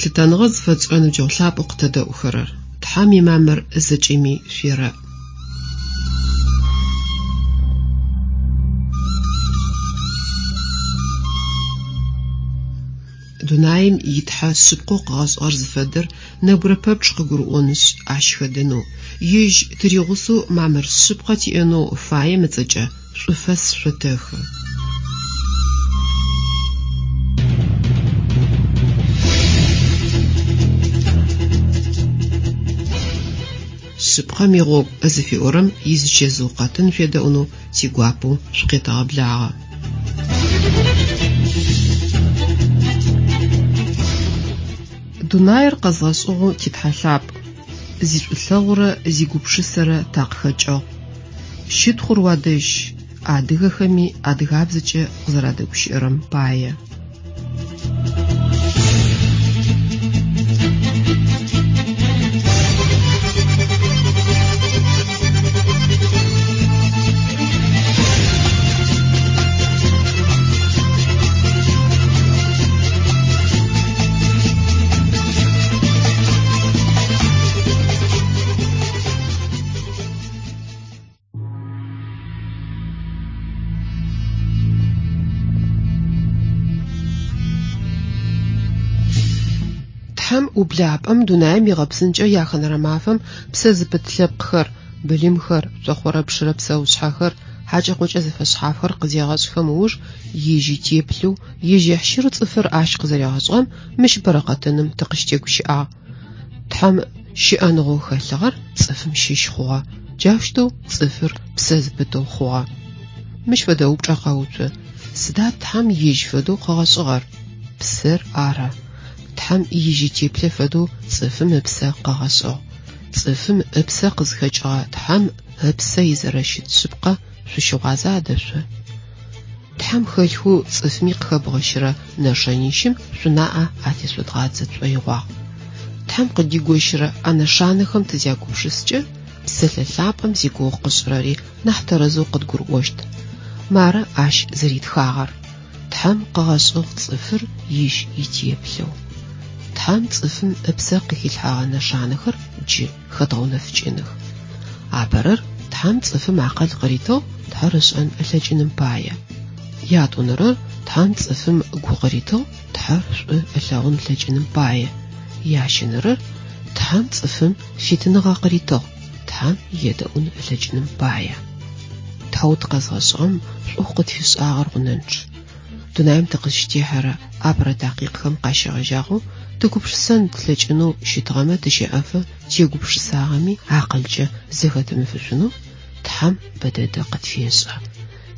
Лъытэныгъэ зыфэтшӏырэ ныбджэгъу лъапӏэу къытэдэӏухэрэр, Тхьэм имамыр зэкӏэми шъуерэӏ. Дунаим и Тхьэ шъыпкъэу къыгъэшӏыгъэр зыфэдэр нэбгырэ пэпчъ къыгурыӏонышъ, ащ хэдэнэу, ежь тыригъусэу мамыр шъыпкъэ тиӏэнэу фаем ыцӏэкӏэ шӏуфэс шъотэхы. Шъыпкъэм игъогу зыфиӏорэм изычэзыу къэтын шъуедэӏунэу тигуапэу шъукъетэгъэблагъэ. Дунаир къэзгъэшӏыгъэу ти Тхьэ лъапӏ, зишӏулъэгъурэ зигупшысэрэ такъыхэкӏыгъ. Щытхъур уадэжь, адыгэхэми адыгабзэкӏэ укъызэрадэгущыӏэрэм пае. Тхьэм ублапӏэм дунаим игъэпсынкӏэ яхэнэрэ мафэм псэ зыпыт лъэпкъхэр, былымхэр, цохъорэ-пшырэ псэушъхьэхэр, хьакӏэ-къокӏэ зэфэшъхьафхэр къызегъэшӏхэм ыуж ежь итеплъэу, ежь ехьщырэу цӏыфыр ащ къызэригъэшӏыгъэм мыщ бэрэкъэтыным тыкъыщытегущыӏагъ. Тхьэм щыӏэныгъэу хэлъыгъэр цӏыфым щыщ хъугъэ, джаущтэу цӏыфыр псэ зыпытэу хъугъэ. Мыщ фэдэ упчӏэ къэуцу, сыда Тхьэм ежь фэдэу къыгъэшӏыгъэр? Псэр ары. Тхьэм ежь итеплъэ фэдэу цӏыфым ыпсэ къыгъэшӏыгъ. Цӏыфым ыпсэ къызхэкӏыгъэ Тхьэм ыпсэ изэрэщыт шъыпкъэ шъущыгъуаза адэ шъо? Тхьэм хэлъхэу цӏыфми къыхэбгъэщырэ нэшэнищым шъунаӏэ атешъодгъадзэ тшӏоигъуагъ. Тхьэм къыдигощырэ а нэшанэхэм тызягупшыскӏэ, Псэлъэ лъапӏэм зигугъу къышӏырэри нахь тэрэзэу къыдгурыӏощт. Мары ащ зэритхагъэр, Тхьэм къыгъэшӏыгъ цӏыфыр ежь итеплъэу. Тхьэм цӏыфым ыпсэ къыхилъхьэгъэ нэшанэхэр джы хэдгъэунэфыкӏыных. Апэрэр, Тхьэм цӏыфым акъыл къыритыгъ Тхьэр ышӏэн ылъэкӏыным пае. Ятӏонэрэр, Тхьэм цӏыфым гу къыритыгъ Тхьэр шӏу ылъэгъун ылъэкӏыным пае. Ящэнэрэр, Тхьэм цӏыфым фитыныгъэ къыритыгъ Тхьэм едэӏун ылъэкӏыным пае. Тхьэу тыкъэзгъэшӏыгъэм шӏоу къытфишӏагъэр гъунэнчъ. Дунаим тыкъызщытехьэрэ апэрэ такъикъхэм къащегъэжьагъэу тыгупшысэн тлъэкӏынэу щытыгъэмэ тыщэӏэфэ тегупшысагъэми акъылкӏэ зэхэтымыфышъунэу Тхьэм бэдэдэ къытфешӏэ.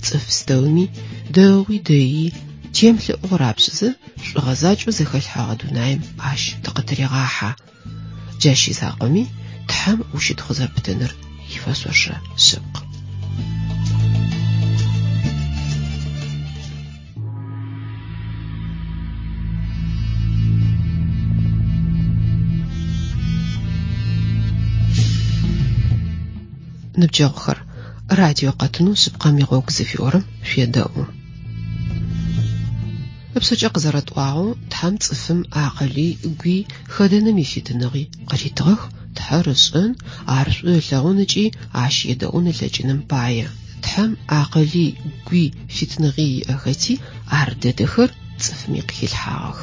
Цӏыф пстэуми, дэгъуи дэий, темылъэӏугъ рапшӏызэ, шӏугъэ закӏэу зэхэлъхьэгъэ дунаим ащ тыкъытырегъахьэ. Джащ изакъоми, Тхьэм ущытхъу зэпытыныр ифэшъошэ шъыпкъ. Ныбджэгъухэр, радио къэтынэу Шъыпкъэм игъогу зыфиӏорэм шъуедэӏу. Ыпшъэкӏэ къызэрэтӏуагъэу, Тхьэм цӏыфым акъыли, гуи, хэдэным ифитыныгъи къыритыгъэх, Тхьэр ышӏэн, ар шӏу ылъэгъун ыкӏи ащ едэӏун ылъэкӏыным пае. Тхьэм акъыли, гуи, фитыныгъи иӏэхэти, ар дэдэхэр цӏыфми къыхилъхьагъэх.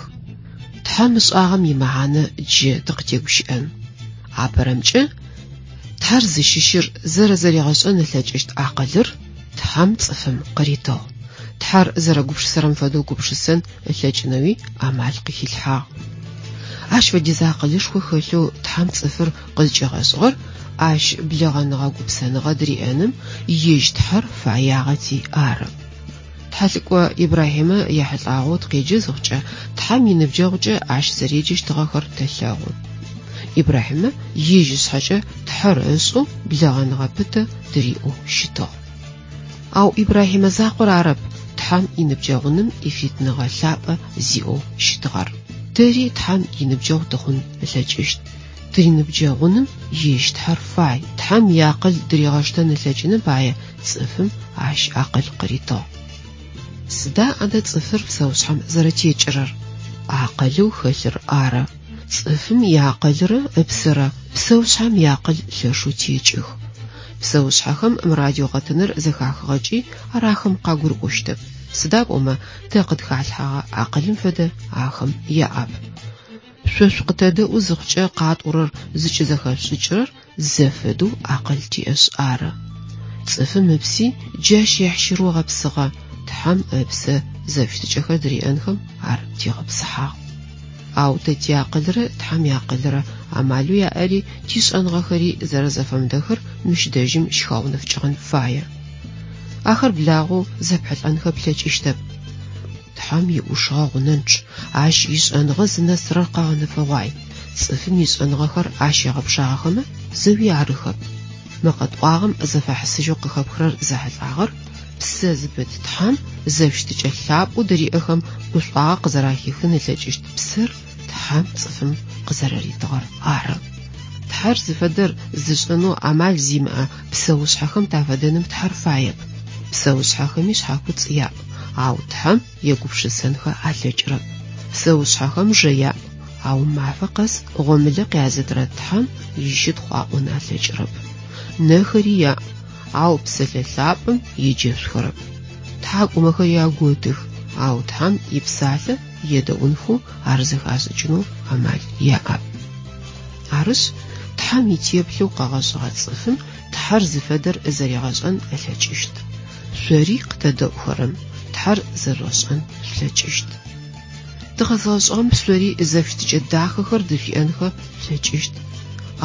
Тхьэм ышӏагъэм имэхьанэ джы тыкъытегущыӏэн. Апэрэмкӏэ, Тхьэр зыщыщыр зэрэзэригъэшӏэн ылъэкӏыщт акъылыр Тхьэм цӏыфым къыритыгъ. Тхьэр зэрэгупшысэрэм фэдэу гупшысэн ылъэкӏынэуи амал къыхилъхьагъ. Ащ фэдиз акъылышхо хэлъэу Тхьэм цӏыфыр къызкӏигъэшӏыгъэр ащ блэгъэныгъэ-гупсэныгъэ дыриӏэным ежь Тхьэр фэягъэти ары. Тхьэлӏыкӏо Ибрахьимэ ехьылӏагъэу тыкъеджэ зыхъукӏэ, Тхьэм иныбджэгъукӏэ ащ зэреджэщтыгъэхэр тэлъэгъу. Ибрахьимэ ежь ышъхьэкӏэ Тхьэр ышӏэу блэгъэныгъэ пытэ дыриӏэу щытыгъ. Ау Ибрахьимэ закъор арэп Тхьэм иныбджэгъуным ифитыныгъэ лъапӏэ зиӏэу щытыгъэр. Тэри Тхьэм иныбджэгъу тыхъун ылъэкӏыщт. Тыриныбджэгъуным ежь Тхьэр фай. Тхьэм иакъыл дыригъэштэн ылъэкӏыным пае цӏыфым ащ акъыл къыритыгъ. Сыда адэ цӏыфыр псэушъхьэм зэрэтекӏырэр? Акъылэу хэлъыр ары. Цӏыфым иакъылрэ ыпсэрэ псэушъхьэм иакъыл лъэшэу текӏых. Псэушъхьэхэм мы радиокъэтыныр зэхахыгъэкӏи ар ахэм къагурыӏощтэп, сыда пӏомэ тэ къытхалъхьэгъэ акъылым фэдэ ахэм яӏэп. Шъо шъукъытэдэӏу зыхъукӏэ къатӏорэр зыкӏызэхэшъушӏыкӏырэр зэфэдэу акъыл тиӏэшъ ары. Цӏыфым ыпси джащ ехьщырэу гъэпсыгъэ, Тхьэм ыпсэ зэфыщытыкӏэхэр дыриӏэнхэм ар тегъэпсыхьагъ. Ау тэ тиакъылрэ Тхьэм иакъылрэ амалэу яӏэри тишӏэныгъэхэри зэрэзэфэмыдэхэр мыщ дэжьым щыхэгъэунэфыкӏыгъэн фае. Ахэр благъэу зэпхьылӏэнхэ плъэкӏыщтэп. Тхьэм иӏушыгъэ гъунэнчъ, ащ ишӏэныгъэ зынэсырэр къэгъэнэфэгъуай, цӏыфым ишӏэныгъэхэр ащ егъэпшагъэхэмэ, зэуи арыхэп. Мы къэтӏуагъэм зэфэхьысыжьэу къыхэпхырэр зэхьылӏагъэр псэ зыпыт Тхьэм зэфыщытыкӏэ лъапӏэу дыриӏэхэм гушӏуагъэ къызэрахихын ылъэкӏыщт псэр Тхьэм цӏыфым къызэрэритыгъэр ары. Тхьэр зыфэдэр зышӏэнэу амал зимыӏэ псэушъхьэхэм тафэдэным Тхьэр фаеп. Псэушъхьэхэми шъхьакуцӏ яӏ, ау Тхьэм егупшысэнхэ алъэкӏырэп. Псэушъхьэхэм жэ яӏ, ау мафэ къэс гъомылэ къязытырэ Тхьэм ищытхъу аӏон алъэкӏырэп. Нэхэри яӏ, ау псэлъэ лъапӏэм еджэшъухэрэп. Тхьакӏумэхэри аготых, ау Тхьэм ипсалъэ едэӏунхэу ар зэхашӏыкӏынэу амал яӏэп. Арышъ, Тхьэм итеплъэу къэгъэшӏыгъэ цӏыфым Тхьэр зыфэдэр зэригъэшӏэн ылъэкӏыщт. Шъори къытэдэӏухэрэм Тхьэр зэрэжъугъэшӏэн шъулъэкӏыщт. Тыкъэзгъэшӏыгъэм шъори зэфыщытыкӏэ дахэхэр дышъуиӏэнхэ шъулъэкӏыщт.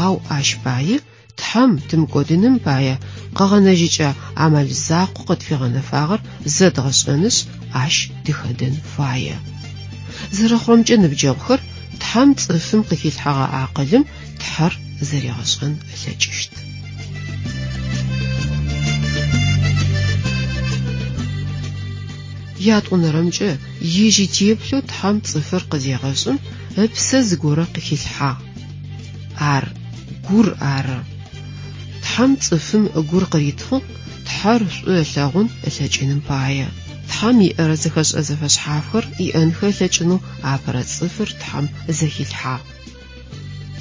Ау ащ пае Тхьэм тымыкӏодыным пае къэгъэнэжьыкӏэ амал закъоу къытфигъэнэфагъэр зэдгъэшӏэнышъ, ащ тыхэдэн фае. Зэрэхъурэмкӏэ, ныбджэгъухэр, Тхьэм цӏыфым къыхилъхьэгъэ акъылым Тхьэр зэригъэшӏэн ылъэкӏыщт. Ятӏонэрэмкӏэ, ежь итеплъэу Тхьэм цӏыфыр къызегъэшӏым, ыпсэ зыгорэ къыхилъхьагъ. Ар гур ары. Тхьэм цӏыфым гур къыритыгъ Тхьэр шӏу ылъэгъун ылъэкӏыным пае. Тхьэм иӏэрэ зэхэшӏэ зэфэшъхьафхэр иӏэнхэ ылъэкӏынэу апэрэ цӏыфыр Тхьэм зэхилъхьагъ.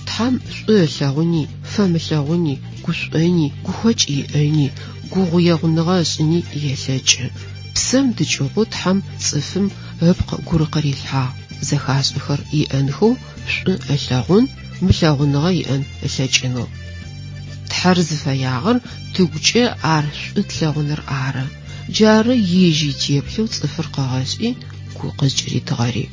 Тхьэм шӏу ылъэгъуни, фэмылъэгъуни, гушӏони, гухэкӏ иӏэни, гугъуегъуныгъэ ышӏыни елъэкӏы. Псэм дыкӏыгъоу Тхьэм цӏыфым ыпкъ гур къырилъхьагъ, зэхашӏэхэр иӏэнхэу, шӏу ылъэгъун, мылъэгъуныгъэ иӏэн ылъэкӏынэу. Тхьэр зыфэягъэр тыгукӏэ ар шӏу тлъэгъуныр ары. Джары ежь итеплъэу цӏыфыр къыгъэшӏи, гу къызкӏыритыгъэри.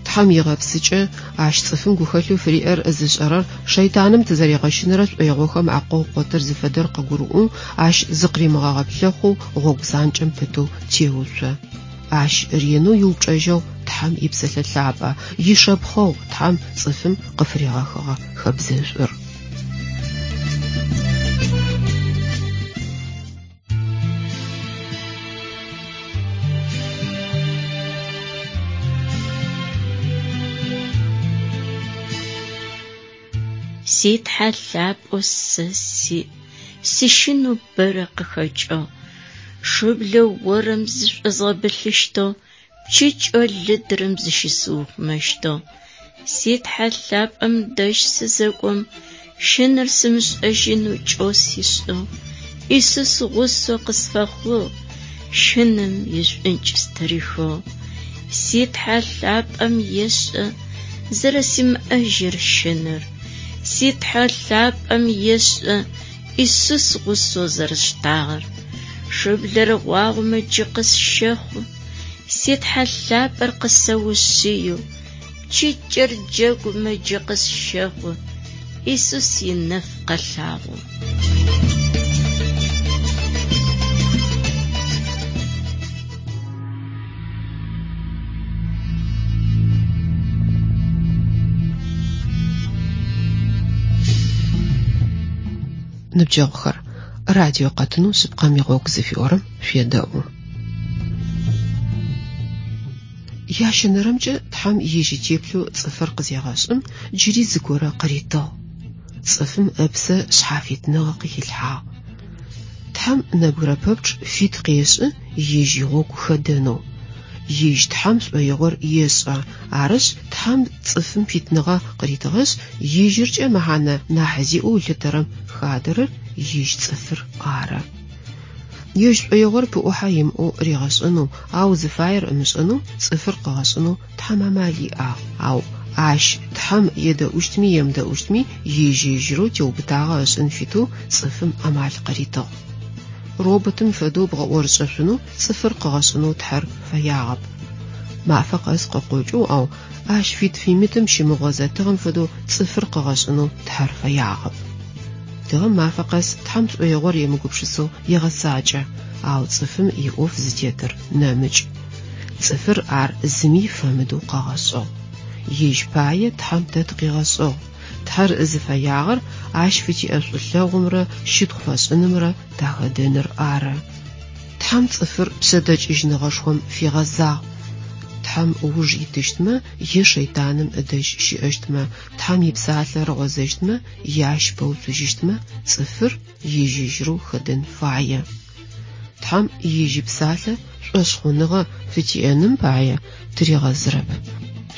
Тхьэм игъэпсыкӏэ, ащ цӏыфым гухэлъэу фыриӏэр зышӏэрэр шэйтаным тызэригъэщынэрэ шӏоигъохэм акъогъу къотыр зыфэдэр къыгурыӏоу, ащ зыкъыримыгъэгъэплъэхъоу гъогу занкӏэм пытэу теуцо. Ащ ренэу иупчӏэжьэгъу Тхьэм ипсэлъэ лъапӏэ, ишэпхъэгъу Тхьэм цӏыфым къыфыригъэхыгъэ хэбзэшӏур. Си Тхьэ лъапӏэу сэ сиӏ, сыщынэу бэрэ къыхэкӏыгъ. Шыблэ орэм зышӏозгъэбылъыщтыгъ, пчыкӏэу лыдырэм зыщысыухъумэщтыгъ. Си Тхьэ лъапӏэм дэжь сызэкӏом, щынэр сымышӏэжьынэу кӏэу сишӏыгъ. Исус гъусэу къысфэхъугъ, щыным ишӏункӏ стырихыгъ. Си Тхьэ лъапӏэм ешӏэ зэрэсимыӏэжьыр щынэр. Си Тхьэ лъапӏэм ешӏэ Исус гъусэу зэрысштагъэр. Шыблэр гъуагъомэ джы къысщэхъу, си Тхьэ лъапӏэр къысэушъыеу, пчыкӏэр джэгумэ джы къысщэхъу, Исус инэф къэлъагъо. Ныбджэгъухэр, радио къэтынэу Шъыпкъэм игъогу зыфиӏорэм шъуедэӏу. Ящэнэрэмкӏэ Тхьэм ежь итеплъэу цӏыфыр къызегъэшӏым, джыри зыгорэ къыритыгъ. Цӏыфым ыпсэ шъхьафитныгъэ къыхилъхьагъ. Тхьэм нэбгырэ пэпчъ фит къешӏы ежь игъогу хэдэнэу. Ежь Тхьэм шӏоигъор ешӏэ. Арышъ, Тхьэм цӏыфым фитыныгъэ къыритыгъэшъ, ежьыркӏэ мэхьанэ нахь зиӏэу ылъытэрэм хадэрэр ежь цӏыфыр ары. Ежь шӏоигъор пыӏухьэ имыӏэу ригъэшӏэнэу, ау зыфаер ымышӏэнэу цӏыфыр къыгъэшӏынэу Тхьэм амал иӏагъ. Ау ащ Тхьэм едэӏущтми емыдэӏущтми ежь-ежьырэу теубытагъэ ышӏын фитэу цӏыфым амал къыритыгъ. Роботым фэдэу бгъэӏорышӏэшъунэу цӏыфыр къыгъэшӏынэу Тхьэр фэягъэп. Мафэ къэс къыкъокӏэу, ау ащ фит-фимытым щымыгъозэ тыгъэм фэдэу цӏыфыр къыгъэшӏынэу Тхьэр фэягъэп. Тыгъэм мафэ къэс Тхьэм шӏоигъор емыгупшысэу егъэцакӏэ, ау цӏыфым иӏоф зытетыр нэмыкӏ. Цӏыфыр ар зыми фэмыдэу къыгъэшӏыгъ. Ежь пае Тхьэм тэ тыкъигъэшӏыгъ. Тхьэр зыфэягъэр ащ фытиӏэ шӏулъэгъумрэ щытхъу фэшӏынымрэ тахэдэныр ары. Тхьэм цӏыфыр пшъэдэкӏыжьыныгъэшхом фигъэзагъ. Тхьэм ыуж итыщтмэ е шэйтаным ыдэжь щыӏэщтмэ, Тхьэм ипсалъэ рыгъозэщтмэ е ащ пэуцужьыщтмэ, цӏыфыр ежь-ежьырэу хэдэн фае. Тхьэм ежь ипсалъэ шӏошъхъуныгъэ фытиӏэным пае тыригъэзырэп.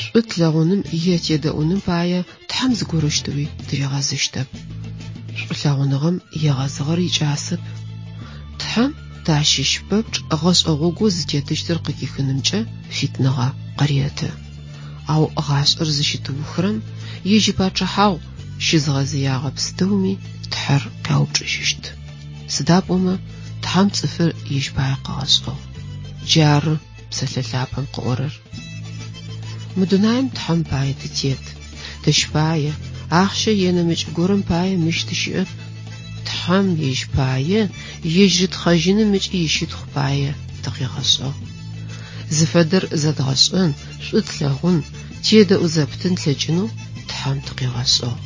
Шӏу тлъэгъуным е тедэӏуным пае Тхьэм зыгорэущтэуи тыригъэзыщтэп. Шӏулъэгъуныгъэм егъэзыгъэр икӏасэп. Тхьэм тащыщ пэпчъ гъэшӏэ гъогоу зытетыщтыр къыхихынымкӏэ фитныгъэ къыреты. Ау гъашӏэр зыщытыухырэм ежь ипачъыхьагъу щызгъэзыягъэ пстэуми Тхьэр къяупчӏыжьыщт. Сыда пӏомэ Тхьэм цӏыфыр ежь пае къыгъэшӏыгъ. Джары Псэлъэ Лъапӏэм къыӏорэр. Мы дунаим Тхьэм пае тытет. Тэщ пае, ахъщэ е нэмыкӏ горэм пае мыщ тыщыӏэп. Тхьэм ежь пае, ежь рытхъэжьыным ыкӏи ищытхъу пае тыкъигъэшӏыгъ. Зыфэдэр зэдгъэшӏэн, шӏу тлъэгъун, тедэӏу зэптын тлъэкӏынэу Тхьэм тыкъигъэшӏыгъ.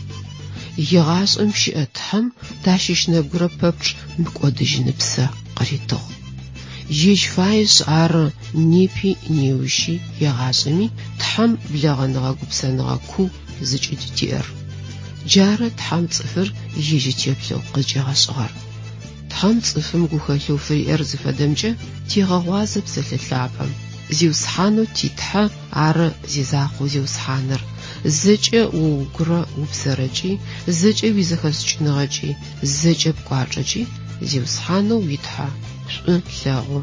Егъашӏэм щыӏэ Тхьэм тащыщ нэбгырэ пэпчъ мыкӏодыжьыныпсэ къыритыгъ. Ежь фаешъ ары непи неущи егъашӏэми Тхьэм блэгъэныгъэ-гупсэныгъэ куу зыкӏыдытиӏэр. Джары Тхьэм цӏыфыр ежь итеплъэу къызкӏигъэшӏыгъэр. Тхьэм цӏыфым гухэлъэу фыриӏэр зыфэдэмкӏэ тегъэгъуазэ Псэлъэ Лъапӏэм. Зиусхьанэу ти Тхьэ ары зизакъоу Зиусхьаныр, зэкӏэ о угурэ упсэрэкӏи, зэкӏэ уизэхэшӏыкӏыныгъэкӏи, зэкӏэ пкӏуачӏэкӏи Зиусхьанэу уи Тхьэ шӏу лъэгъу,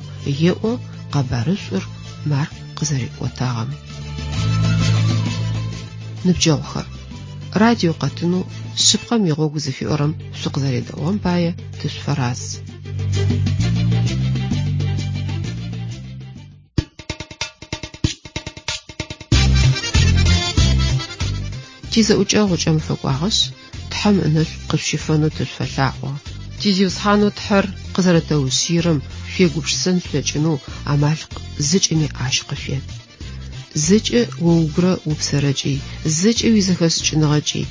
еӏо къэбарышӏур Марк къызэриӏотагъэм. Ныбджэгъухэр, радио къэтынэу Шъыпкъэм игъогу зыфиӏорэм шъукъызэредэӏугъэм пае тышъуфэраз. Тизэӏукӏэгъу ыкӏэм фэкӏуагъэшъ, Тхьэм ынэшӏу къышъущифэнэу тышъуфэлъаӏо. Ти Зиусхьанэу Тхьэр къызэрэтэушъыирэм шъуегупшысэн шъулъэкӏынэу амал зэкӏэми ащ къышъует. Зэкӏэ о угурэ упсэрэкӏи, зэкӏэ уизэхэшӏыкӏыныгъэкӏи,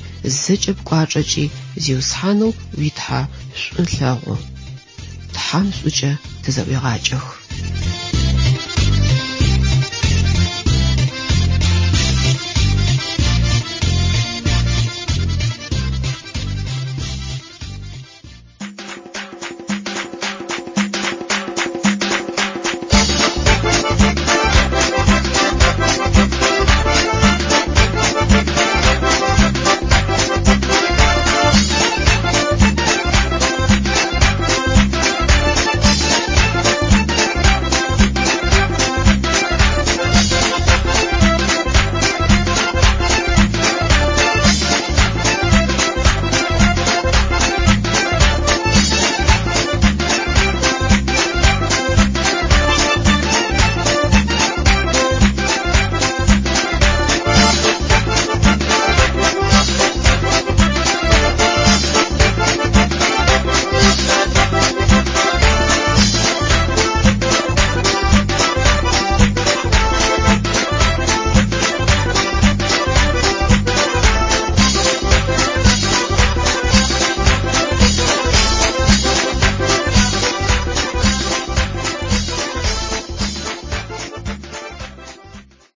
зэкӏэ пкӏуачӏэкӏи Зиусхьанэу уи Тхьэ шӏу лъэгъу. Тхьэм шӏукӏэ тызэӏуегъакӏэх.